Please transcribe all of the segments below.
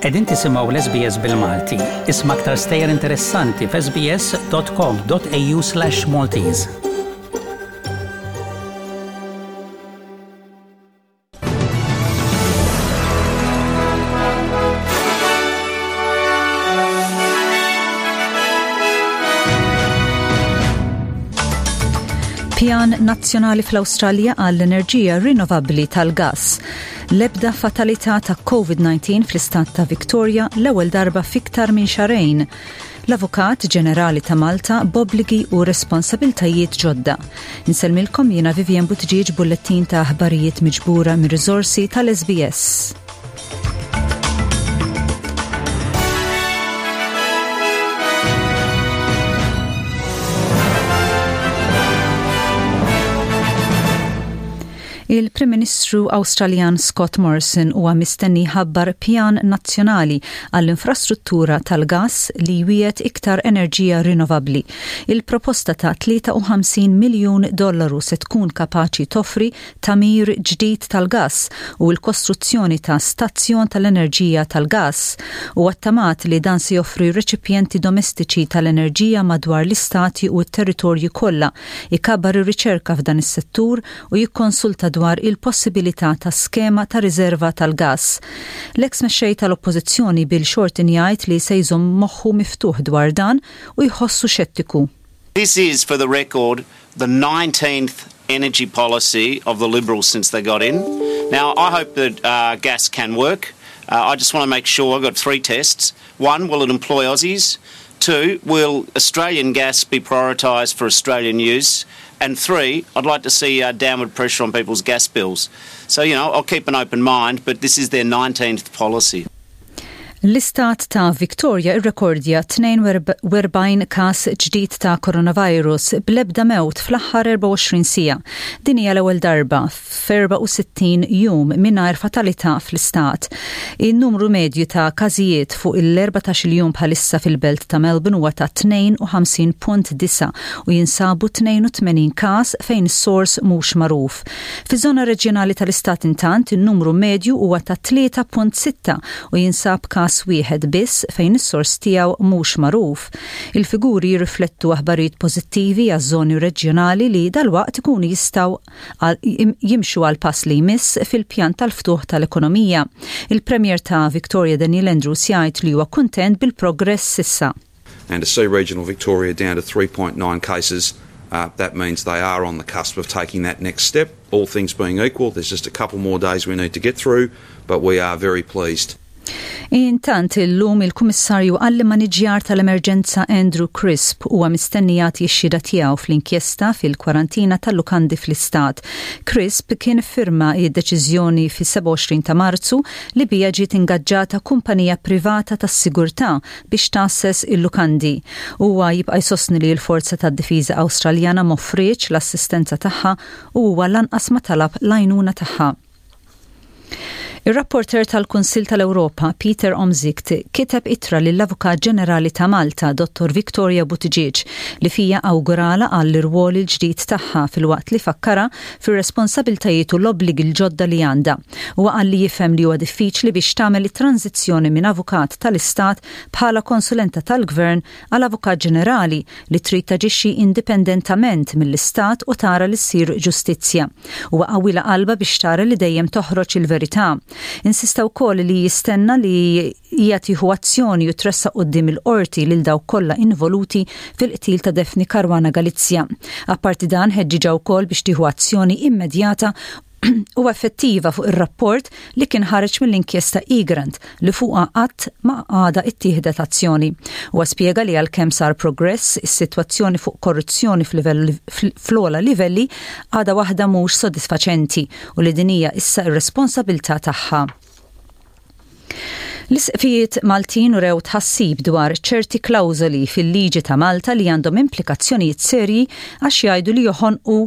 Qegħdin tisimgħu l-SBS bil-Malti. Isma' aktar stejjer interessanti f'sbs.com.au/Maltese. Pjan nazzjonali fl-Awstralja għall-enerġija rinnovabbli tal-gass. L-ebda fatalità ta' COVID-19 fl-istat ta' Victoria l-ewwel darba fiktar minn xarejn. L-Avukat Ġenerali ta' Malta b'obbligi u responsabiltajiet ġodda. Insellmilkom jiena Vivian Buttigieg bullettin ta' aħbarijiet miġbura mir riżorsi tal-SBS. Il-Prim Ministru Awstraljan Scott Morrison huwa mistenni jħabbar pjan nazzjonali għall-infrastruttura tal-gass li jwiegħed iktar enerġija rinnovabbli. Il-proposta ta' 53 miljun dollaru se tkun kapaċi toffri tagħmir ġdid tal-gass u l-kostruzzjoni ta' stazzjon tal-enerġija tal-gass. Huwa ttamat li dan se joffri reċipjenti domestiċi tal-enerġija madwar l-istati u t-territorji kollha, ikabbar ir-riċerka f'dan is-settur u jikkonsulta dwar il-possibilità ta' skema ta' riżerva tal-gass. L-eks mexxej tal-Oppożizzjoni Bill Shorten jgħid li se jżomm moħħu miftuħ dwar dan u jħossu xettiku. This is, for the record, the 19th energy policy of the Liberals since they got in. Now, I hope that uh, gas can work. Uh, I just want to make sure I've got three tests. One, will it employ Aussies? Two, will Australian gas be prioritised for Australian use? And three, I'd like to see uh, downward pressure on people's gas bills. So, you know, I'll keep an open mind, but this is their 19th policy. L-istat ta' Victoria irrekordja 42 każ ġdid ta' coronavirus bl-ebda mewt fl-aħħar 24 siegħa. Din hija l-ewwel darba f'64 jum mingħajr fatalità fl-istat. In-numru medju ta' każijiet fuq il-14-il jum bħalissa fil-belt ta' Melbourne huwa ta' 52.9 u jinsabu 82 każ fejn is-sors mhux magħruf. Fiż-żona reġjonali tal-istat intant, in-numru medju huwa ta' 3.6 u jinsab każ wieħed biss fejn is-sors tiegħu mhux magħruf. Il-figuri jirriflettu aħbarijiet pożittivi għaż-żoni reġjonali li dalwaqt ikunu jistgħu jimxu għall-pass li jmiss fil-pjan tal-ftuħ tal-ekonomija. Il-Premier ta' Victoria Daniel Andrews jgħid li huwa kuntent bil-progress s'issa. And to see regional Victoria down to 3.9 cases, uh, that means they are on the cusp of taking that next step. All things being equal, there's just a couple more days we need to get through, but we are very pleased. Intant illum il-Kummissarju għall-Immaniġjar tal-Emerġenza Andrew Crisp huwa mistenni jagħti x-xhieda tiegħu fl-inkjesta fil-kwarantina tal-lukandi fl-istat. Crisp kien iffirma d-deċiżjoni fis-27 ta' Marzu li biha ġiet ingaġġata kumpanija privata tas-sigurtà biex tgħasses il-lukandi. Huwa jibqa' jsostni li l-Forza tad-Difiża Awstraljana m'offrietx l-assistenza tagħha u huwa lanqas ma talab l-għajnuna tagħha. Ir-rapporteur tal-Kunsill tal-Ewropa, Peter Omtzigt, kiteb ittra lill-Avukat Ġenerali ta' Malta, Dottor Victoria Buttigieg, li fiha awguralha għall-irwol il-ġdid tagħha filwaqt li fakkarha fir-responsabiltajiet u l-obbligi l-ġodda li għandha. Huwa qal li jifhem li huwa diffiċli biex tagħmel it-tranżizzjoni minn avukat tal-Istat bħala konsulenta tal-Gvern għal Avukat Ġenerali li trid taġixxi indipendentament mill-Istat u tara li ssir ġustizzja. Huwa qawwilha qalbha biex tara li dejjem toħroġ il-verità. Insista wkoll li jistenna li hija tieħu azzjoni u tressaq quddiem il-Qorti lil dawk kollha involuti fil-qtil ta' Daphne Caruana Galizia. Apparti dan ħeġġiġha wkoll biex tieħu azzjoni immedjata u effettiva fuq ir-rapport li kien ħareġ mill-inkjesta Egrant li fuqha qatt ma għadha ittieħdet azzjoni. Huwa spjega li għalkemm sar progress, is-sitwazzjoni fuq korruzzjoni fl-ogħla livelli għadha waħda mhux sodisfaċenti u li din hija issa r-responsabilità tagħha. L-Isqfijiet Maltin urew tħassib dwar ċerti klawżoli fil-liġi ta' Malta li għandhom implikazzjonijiet serji għax jgħidu li joħonqu.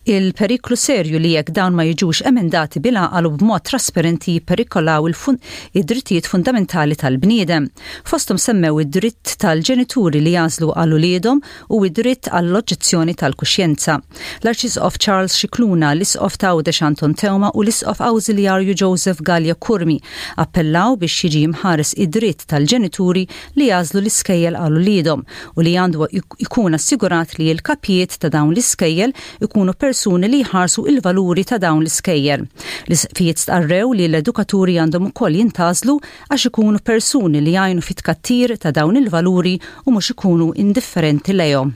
il-periklu serju li jekk dawn ma jiġux emendati bil-għaqal u b'mod trasparenti jipperikolaw id-drittijiet fundamentali tal-bniedem. Fosthom semmew id-dritt tal-ġenituri li jagħżlu għal uliedhom u id-dritt għall-oġġezzjoni tal-kuxjenza. L-Arċisqof Charles Scicluna, l-Isqof ta' Għawdex Anton Teuma u l-Isqof Awżiljarju Joseph Galea Curmi appellaw biex jiġi mħares id-dritt tal-ġenituri li jagħżlu l-iskejjel għal uliedhom u li għandu jkun assigurat li l-kapijiet ta' dawn l-iskejjel ikunu persuni li jħarsu il-valuri ta' dawn l-iskejjel. L-isqfijiet stqarrew li l-edukaturi għandhom ukoll jintgħażlu għax ikunu persuni li jgħinu fit-tkattir ta' dawn il-valuri u mhux ikunu indifferenti lejhom.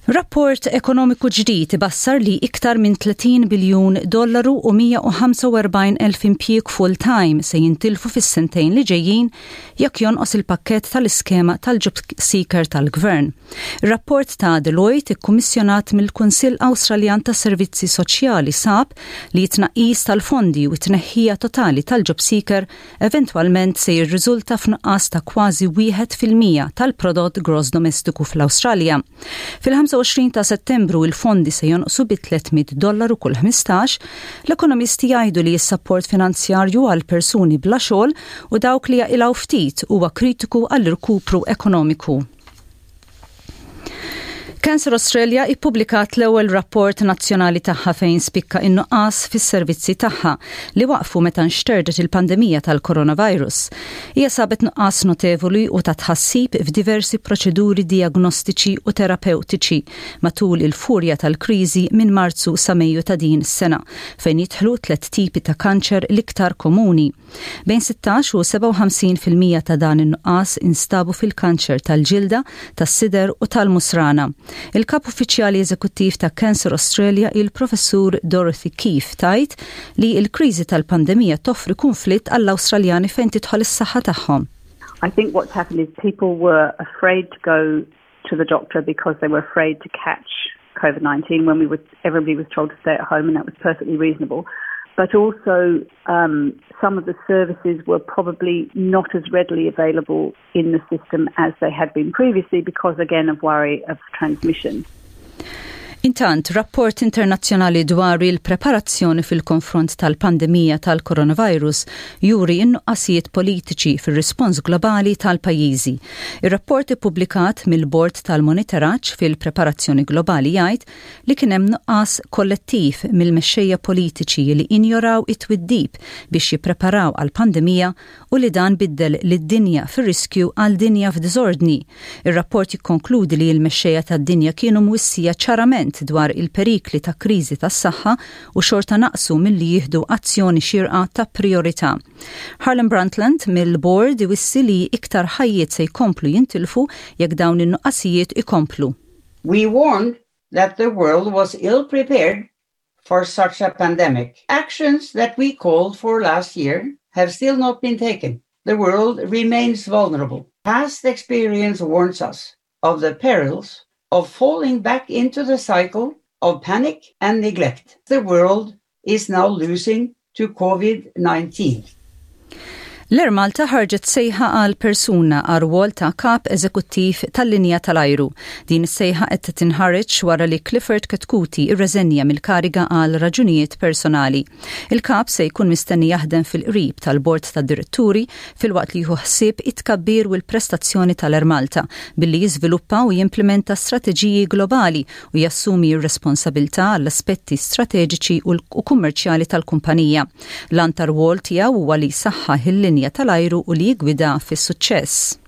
Rapport ekonomiku ġdid ibassar li iktar minn 30 biljun dollaru u 145 elf impjieg full-time se jintilfu fis-sentejn li ġejjin jekk jonqos il-pakkett tal-iskema tal-job seeker tal-gvern. Ir-rapport ta' Deloitte ikkummissjonat mill-Kunsill Awstraljan tas-Servizzi Soċjali sab li t-tnaqqis tal-fondi u t-tneħħija totali tal-job seeker eventwalment se jirriżulta f'nuqqas ta' kważi 1% tal-prodott gross domestiku fl-Awstralja. Fil-25 ta' Settembru il-fondi se jonqsu bi 300 dollaru kull 15, l-ekonomisti jgħidu li s-sapport finanzjarju għal persuni bla xogħol u dawk li jaqilgħu ftit huwa kritiku għall-irkupru ekonomiku. Cancer Australia ippubblikat l-ewwel rapport nazzjonali tagħha fejn spikka in-nuqqas fis-servizzi tagħha li waqfu meta nxterdet il-pandemija tal-coronavirus. Hija sabet nuqqas notevoli u ta' tħassib f'diversi proċeduri diagnostiċi u terapewtiċi matul il-furja tal-kriżi minn Marzu sa Mejju ta' din is-sena, fejn jidħlu tliet tipi ta' kanċer l-iktar komuni. Bejn 16 u 57% ta' dan in-nuqqas instabu fil-kanċer tal-ġilda, tas-sider u tal-musrana. Il-kap uffiċjali eżekuttiv ta' Cancer Australia, il-Professur Dorothy Keefe, tgħid li l-kriżi tal-pandemija toffri kunflitt għall-Awstraljani fejn tidħol is-saħħa tagħhom. I think what's happened is people were afraid to go to the doctor because they were afraid to catch COVID-19 when we were, everybody was told to stay at home and that was perfectly reasonable. But also um, some of the services were probably not as readily available in the system as they had been previously because, again, of worry of transmission. Intant, rapport internazzjonali dwar il-preparazzjoni fil-konfront tal-pandemija tal-coronavirus juri in-nuqqasijiet politiċi fir-rispons globali tal-pajjiżi. Ir-rapport ippubblikat mill-Bord tal-Monitoraġġ fil-Preparazzjoni Globali jgħid li kien hemm nuqqas kollettiv mill-mexxejja politiċi li injoraw it-twiddib biex jippreparaw għall-pandemija u li dan biddel lid-dinja fir-riskju għal dinja f'diżordni. Ir-rapport jikkonkludi li l-mexxejja tad-dinja kienu mwissija ċarament dwar il-perikli ta' kriżi tas-saħħa u xorta naqsu milli jieħdu azzjoni xierqa ta' priorità. Harlan Brundtland mill-bord iwissi li iktar ħajjiet se jkomplu jintilfu jekk dawn in-nuqqasijiet ikomplu. We warned that the world was ill-prepared for such a pandemic. Actions that we called for last year have still not been taken. The world remains vulnerable. Past experience warns us of the perils of falling back into the cycle of panic and neglect. The world is now losing to COVID-19. L-Air Malta ħarġet sejħa għal persuna għal rwol ta' kap eżekuttiv tal-linja tal-ajru. Din is-sejħa qed tinħareġ wara li Clifford Chetcuti irreżenja mill-kariga għal raġunijiet personali. Il-kap se jkun mistenni jaħdem fil-qrib tal-bord tad-diretturi filwaqt li jieħu ħsieb it-tkabbir u l-prestazzjoni tal-Air Malta billi jiżviluppa u jimplementa strateġiji globali u jassumi r-responsabilità għall-aspetti strateġiċi u kummerċjali tal-kumpanija. L-għan tar-rwol tiegħu huwa li jsaħħaħ il-linja tal-ajru u li jiggwida fis-suċċess.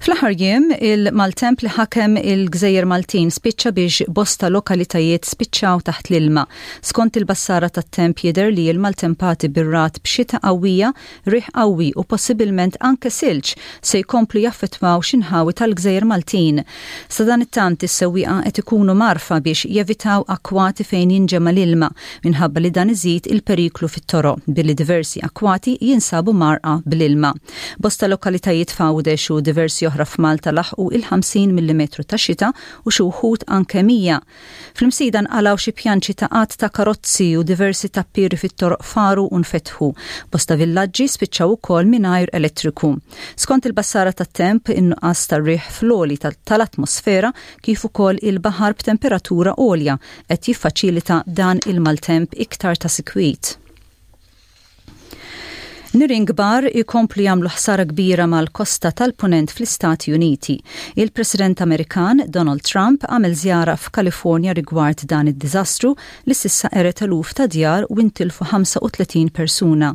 Fl-aħħar jiem, il-maltemp li ħakem il-Gżejjer Maltin spiċċa biex bosta lokalitajiet spiċċaw taħt l-ilma. Skont il-bassara tat-temp jidher li l-maltempati bir-ragħad b'xita qawwija, riħ qawwi u possibilment anke silġ se jkomplu jaffettwaw xi nħawi tal-Gżejjer Maltin. Sadanittant is-sewwieqa qed ikunu mgħarrfa biex jevitaw akkwati fejn jinġema' l-ilma minħabba li dan iżid il-periklu fit-toroq billi diversi akkwati jinsabu mgħarrqa bl-ilma. Bosta lokalitajiet f'Għawdex u diversi oħra f'Malta laħqu il-50 millimetru ta' xita u xi wħud anke 100. Fl-Imsida nqalgħu xi pjanċi ta' għadd ta' karozzi u diversi tappieri fit-toroq faru u nfetħu. Bosta villaġġi spiċċaw ukoll mingħajr elettriku. Skont il-bassara tat-temp, in-nuqqas tar-riħ fl-għoli tal-atmosfera kif ukoll il-baħar b'temperatura għolja qed jiffaċilita dan il-maltemp iktar ta' sikwit. Nirien kbar ikomplu jagħmlu ħsara kbira mal-kosta tal-Punent fl-Istati Uniti. Il-President Amerikan, Donald Trump, għamel żjara f'Kalifornja rigward dan id-diżastru li s'issa qered eluf ta' djar u intilfu 35 persuna.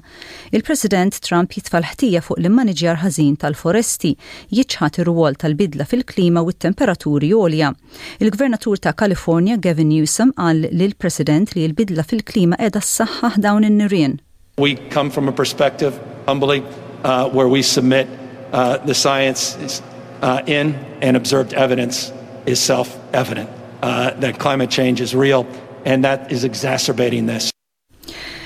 Il-President Trump jitfa' l-ħtija fuq l-immaniġjar ħażin tal-foresti, jiċħad ir-rwol tal-bidla fil-klima u t-temperaturi għolja. Il-Gvernatur ta' Kalifornja Gavin Newsom qal lill-President li l-bidla fil-klima qiegħda ssaħħaħ dawn in-nirien. We come from a perspective, humbly, uh, where we submit uh, the science is, uh, in and observed evidence is self-evident uh, that climate change is real and that is exacerbating this.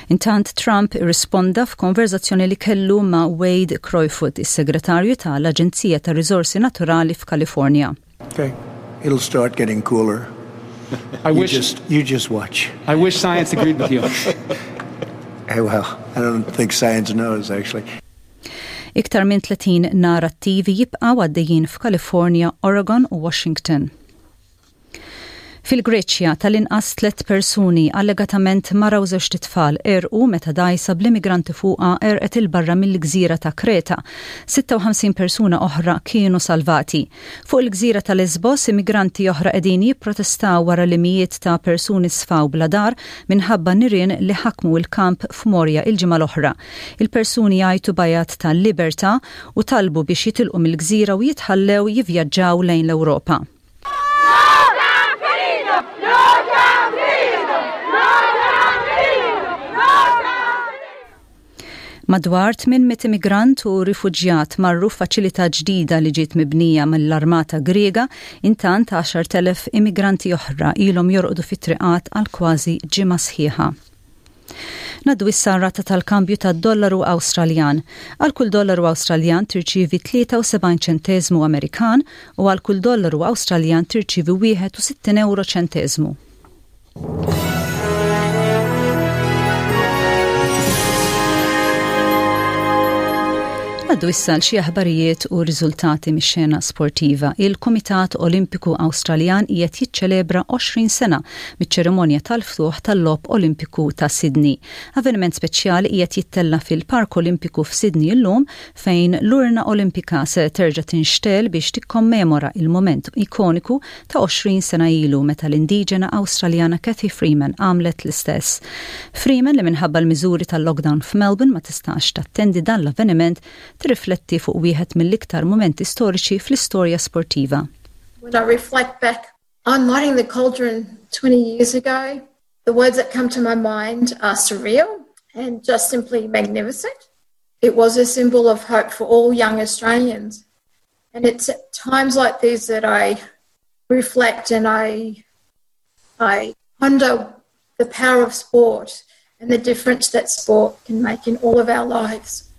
Intant Trump irrisponda f'konverżazzjoni li kellu ma' Wade Crowfoot, is-Segretarju ta' l-Aġenzija tar-Riżorsi Naturali f'Kalifornja. Okay. It'll start getting cooler. I you wish just you just watch. I wish science agreed with you. Hey, well, I don't think science knows actually. Iktar minn 30 nar attivi jibqgħu għaddejjin f'Kalifornja, Oregon u Washington. Fil-Greċja, tal-inqas tlett persuni, allegatament mara u żewġt itfal, għerqu meta dgħajsa bl-immigranti fuqha għerqet 'il barra mill-gżira ta' Kreta. 56 persuna oħra kienu salvati. Fuq il-gżira ta' Lesbos, immigranti oħra qegħdin jipprotestaw wara li mijiet ta' persuni sfaw bla dar minħabba nirien li ħakmu l-kamp f'Moria il-ġimgħa l-oħra. Il-persuni jgħajtu b'għajat ta' libertà u talbu biex jitilqu mill-gżira u jitħallew jivvjaġġaw lejn l-Ewropa. Madwar 800 immigrant u rifuġjat marru f'faċilità ġdida li ġiet mibnija mill-Armata Griega, intant 10,000 immigranti oħra ilhom jorqdu fit-triqat għal kważi ġimgħa sħiħa. Ngħaddu issa għar-rata tal-kambju tad-dollaru Awstraljan. Għal kull dollaru Awstraljan tirċievi 73 ċenteżmu Amerikan u għal kull dollaru Awstraljan tirċievi 61 ewro ċenteżmu. Ngħaddu issa għal xi aħbarijiet u riżultati mix-xena sportiva. Il-Kumitat Olimpiku Awstraljan qiegħed jiċċelebra 20 sena miċ-ċerimonja tal-ftuħ tal-Logħob Olimpiku ta' Sydney. Avveniment speċjali qiegħed jittella' fil-Park Olimpiku f'Sydney illum fejn l-urna Olimpika se terġa' tinxtegħel biex tikkommemora il-mument ikoniku ta' 20 sena ilu meta l-indiġena Awstraljana Cathy Freeman għamlet l-istess. Freeman li minħabba l-miżuri tal-lockdown f'Melbourne ma tistax tattendi dan l-avveniment tirrifletti fuq wieħed mill-iktar mumenti storiċi fl-istorja sportiva. When I reflect back on lighting the cauldron 20 years ago, the words that come to my mind are surreal and just simply magnificent. It was a symbol of hope for all young Australians. And it's at times like these that I reflect and I, I ponder the power of sport and the difference that sport can make in all of our lives.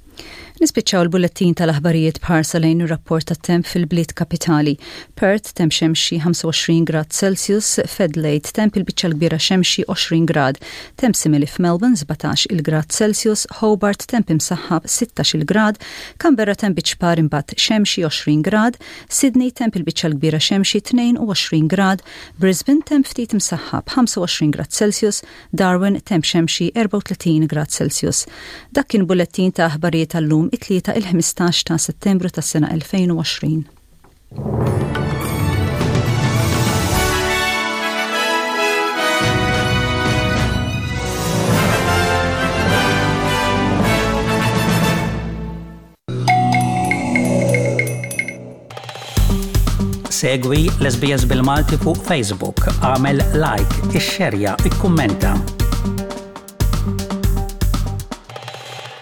Nispiċċaw il-bullettin tal-aħbarijiet b'ħarsa lejn ir-rapport tat-temp fil-bliet kapitali. Perth temp xemxi 25 grad Celsius, f'Adelaide temp il-biċċa l-kbira xemxi 20 grad, temp simili f'Melbourne 17 il-grad Celsius, Hobart temp imsaħħab 16 il-grad, Canberra temp biċ-ċpar imbagħad xemxi 20 grad, Sydney temp il-biċċa l-kbira xemxi 22 grad, Brisbane temp ftit imsaħħab 25 grad Celsius, Darwin, temp xemxi 34 grad Celsius. Dak kien bullettin ta' aħbarijiet tal-lum it-Tlieta il-15 ta' Settembru tas-sena 2020. Segwi l-SBS bil-Malti fuq Facebook, għamel like, ixxerja, ikkummenta.